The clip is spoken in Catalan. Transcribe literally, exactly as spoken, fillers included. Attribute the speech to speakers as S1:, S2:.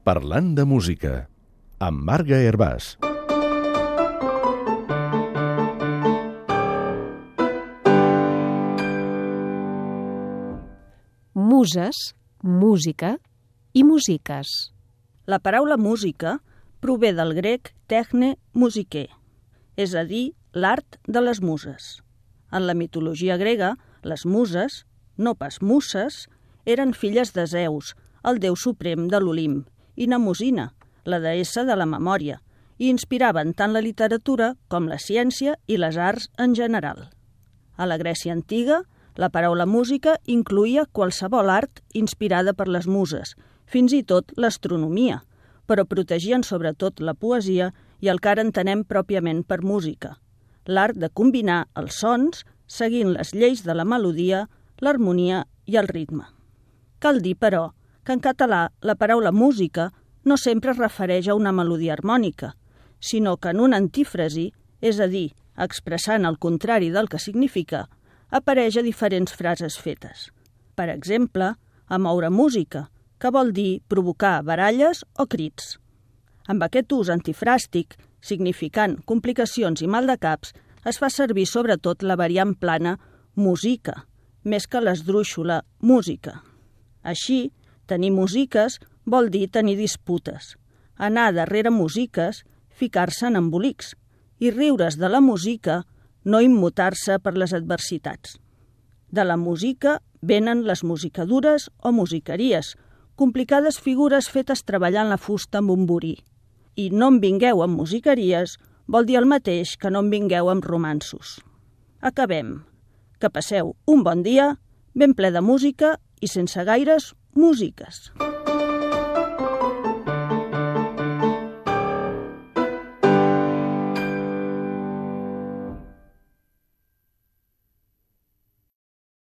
S1: Parlant de música, amb Marga Hervàs.
S2: Muses, música i musiques.
S3: La paraula música prové del grec techne musique, és a dir, l'art de les muses. En la mitologia grega, les muses, no pas muses, eren filles de Zeus, el déu suprem de l'Olimp, i Mnemosina, la deessa de la memòria, i inspiraven tant la literatura com la ciència i les arts en general. A la Grècia antiga, la paraula música incloïa qualsevol art inspirada per les muses, fins i tot l'astronomia, però protegien sobretot la poesia i el que ara entenem pròpiament per música, l'art de combinar els sons seguint les lleis de la melodia, l'harmonia i el ritme. Cal dir, però, que en català la paraula música no sempre es refereix a una melodia harmònica, sinó que en una antífrasi, és a dir, expressant el contrari del que significa, apareix a diferents frases fetes. Per exemple, a moure música, que vol dir provocar baralles o crits. Amb aquest ús antifràstic, significant complicacions i maldecaps, es fa servir sobretot la variant plana musica, més que l'esdrúixola música. Així, tenir musiques vol dir tenir disputes, anar darrere musiques, ficar-se en embolics, i riure's de la música, no immutar-se per les adversitats. De la música venen les musicadures o musiqueries, complicades figures fetes treballant la fusta amb un borí. I no em vingueu amb musiqueries vol dir el mateix que no em vingueu amb romanços. Acabem. Que passeu un bon dia, ben ple de música i sense gaires músiques.